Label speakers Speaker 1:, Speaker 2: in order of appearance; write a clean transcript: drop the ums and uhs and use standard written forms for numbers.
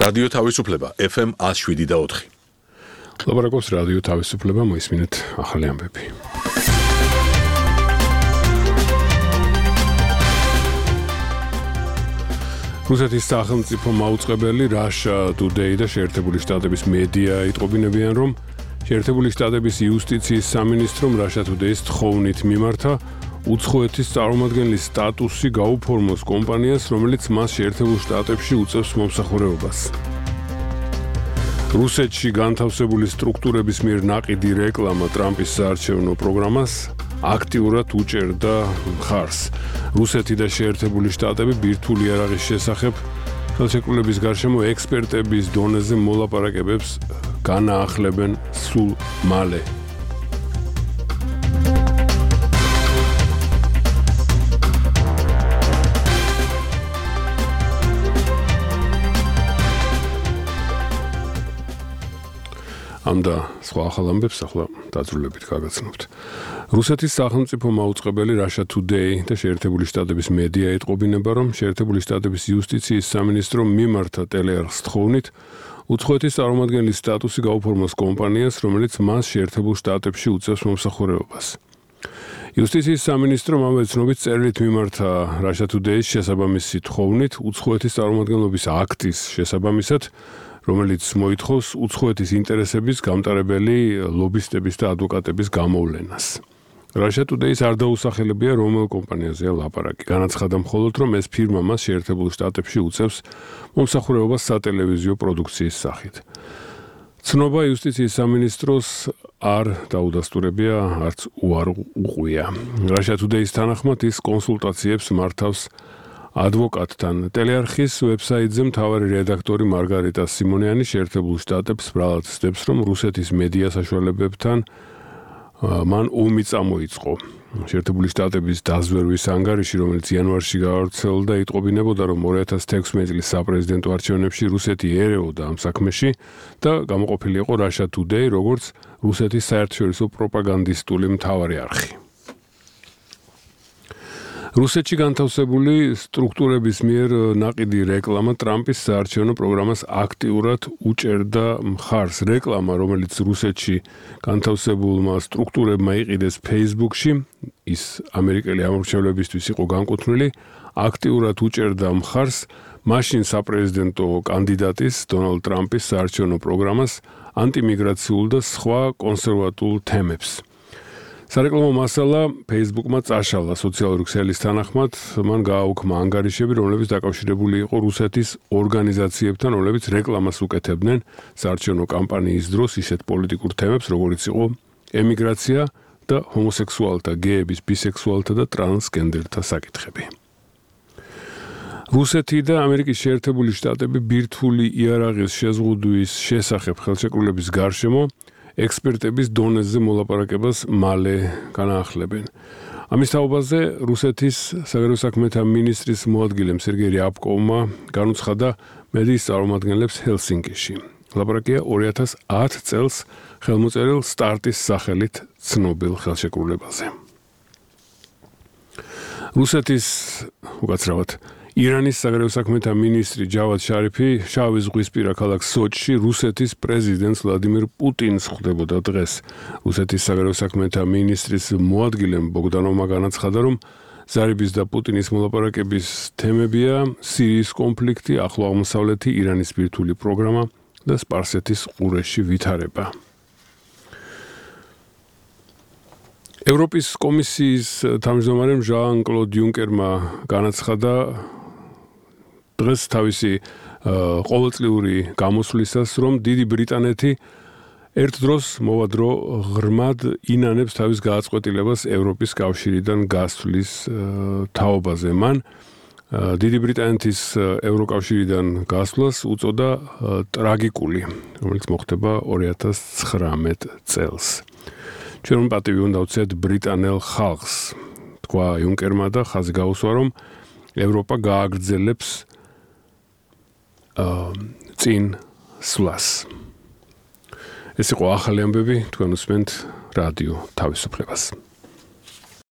Speaker 1: რადიო თავისუფლება FM 107.4.
Speaker 2: ლაპარაკობს რადიო თავისუფლება, მოისმინეთ ახალი ამბები. რუსეთის სახელმწიფო მაუწყებელი Russia Today და შეერთებული შტატების მედია იტყობინებიან, რომ შეერთებული შტატების იუსტიციის სამინისტრომ Russia Today-ს თხოვნით მიმართა უცხოეთის წარმომადგენლის სტატუსი გაუფორმოს კომპანიას, რომელიც მას შეერთებულ შტატებში უწევს მომსახურებას. რუსეთში განთავსებული სტრუქტურების მიერ ნაყიდი რეკლამა ტრამპის საარჩევნო პროგრამას აქტიურად უჭერდა მხარს. რუსეთი და შეერთებული შტატები ბირთვული იარაღის შესახებ ხელშეკრულების გარშემო ექსპერტების დონეზე მოლაპარაკებებს განაახლებენ სულ მალე. ამდა სხვა ახალ ამბებს ახლა დაძრულებით გაგაცნობთ. რუსეთის სახელმწიფო მაუწყებელი Russia Today და შეერთებული შტატების მედია ეტყობინება, რომ შეერთებული შტატების იუსტიციის სამინისტრომ მიმართა ტელეარხს თხოვნით უცხოეთის წარმომადგენლის სტატუსი გაუფორმოს კომპანიას, რომელიც მას შეერთებულ შტატებში უწევს მომსახურებას. იუსტიციის სამინისტრომ ამავე ცნობით წერილით მიმართა Russia Today-ს შესაბამისი თხოვნით უცხოეთის წარმომადგენლობის აქტის შესაბამისად, რომელიც მოითხოვს უცხოეთის ინტერესების გამტარებელი ლობისტების და ადვოკატების გამოვლენას. Russia Today-ს არ დაუსახელებია რომელ კომპანიაზეა ლაპარაკი. განაცხადა მხოლოდ, რომ ეს ფირმა მას შეერთებულ შტატებში უწევს მომსახურებას სატელევიზიო პროდუქციის სახით. ცნობა იუსტიციის სამინისტროს არ დაუდასტურებია, არც უარ უყვია. Russia Today-ს თანახმად ის კონსულტაციებს მართავს ადვოკატთან. ტელეარხის ვებსაიტზე მთავარი რედაქტორი მარგარიტა სიმონიანი შეერთებულ შტატებს ბრალად ცდებს, რომ რუსეთის მედია საშუალებებთან მან ომი წამოიწყო. შეერთებული შტატების დაზვერვის ანგარიში, რომელიც იანვარში გავრცელდა, იტყობინებოდა, რომ 2016 წლის საპრეზიდენტო არჩევნებში რუსეთი ერეოდა ამ საქმეში და გამოყოფილი იყო Russia Today, როგორც რუსეთის საერთაშორისო პროპაგანდისტული მთავარი არხი. რუსეთში განთავსებული სტრუქტურების მიერ ნაყიდი რეკლამა ტრამპის საარჩევნო პროგრამას აქტიურად უჭერდა მხარს. რეკლამა, რომელიც რუსეთში განთავსებულმა სტრუქტურებმა იყიდეს Facebook-ში, ის ამერიკელი ამორჩევლებისთვის იყო განკუთვნილი, აქტიურად უჭერდა მხარს მაშინ საპრეზიდენტო კანდიდატის დონალდ ტრამპის საარჩევნო პროგრამას, ანტიმიგრაციულ და სხვა კონსერვატულ თემებს. სარეკლამო მასალა Facebook-მა წაშალა. სოციალური ქსელის თანახმად მან გააუქმა ანგარიშები, რომლებიც დაკავშირებული იყო რუსეთის ორგანიზაციებთან, რომლებიც რეკლამას უკეთებდნენ საარჩევნო კამპანიის დროს ისეთ პოლიტიკურ თემებს, როგორიც იყო ემიგრაცია და ჰომოსექსუალთა, გეების, ბისექსუალთა და ტრანსგენდერთა საკითხები. რუსეთი და ამერიკის შეერთებული შტატები ბირთვული იარაღის შეზღუდვის შესახებ ხელშეკრულების გარშემო ექსპერტების დონეზე მოლაპარაკებას მალე განაახლებენ. ამის თაობაზე რუსეთის საგარეო საქმეთა მინისტრის მოადგილემ სერგეი რიაბკოვმა განუცხადა მედიის წარმომადგენლებს ჰელსინკიში. ლაპარაკია 2010 წელს ხელმოწერილ სტარტის სახელით ცნობილ ხელშეკრულებაზე. რუსეთის უკაცრავად ირანის საგარეო საქმეთა მინისტრი ჯავად შარიფი შავი ზღვისპირა ქალაქ სოჩში რუსეთის პრეზიდენტს ვლადიმირ პუტინს ხვდებოდა დღეს. რუსეთის საგარეო საქმეთა მინისტრის მოადგილემ ბოგდანოვმა განაცხადა, რომ ზარიბის და პუტინის მოლაპარაკების თემებია სირიის კონფლიქტი, ახლო აღმოსავლეთი, ირანის ბირთვული პროგრამა და სპარსეთის ყურეში ვითარება. ევროპის კომისიის თავმჯდომარემ ჟან-კლოდ იუნკერმა განაცხადა დღეს თავისი ყოველწლიური გამოსვლისას, რომ დიდი ბრიტანეთი ერთ დროს მოვადრო ღრმად ინანებს თავის გააწყვეტილებას ევროპის კავშირიდან გასვლის თაობაზე. მან დიდი ბრიტანეთის ევროკავშირიდან გასვლას უწოდა ტრაგიკული, რომელიც მოხდება 2019 წელს. ჩვენ პატივი უნდა ვცეთ ბრიტანელ ხალხს, თქვა იუნკერმა და ხაზი გაუსვა, რომ ევროპა გააგრძელებს წინ სვლას. ეს იყო ახალი ამბები, თქვენ უსმენთ რადიო თავისუფლებას.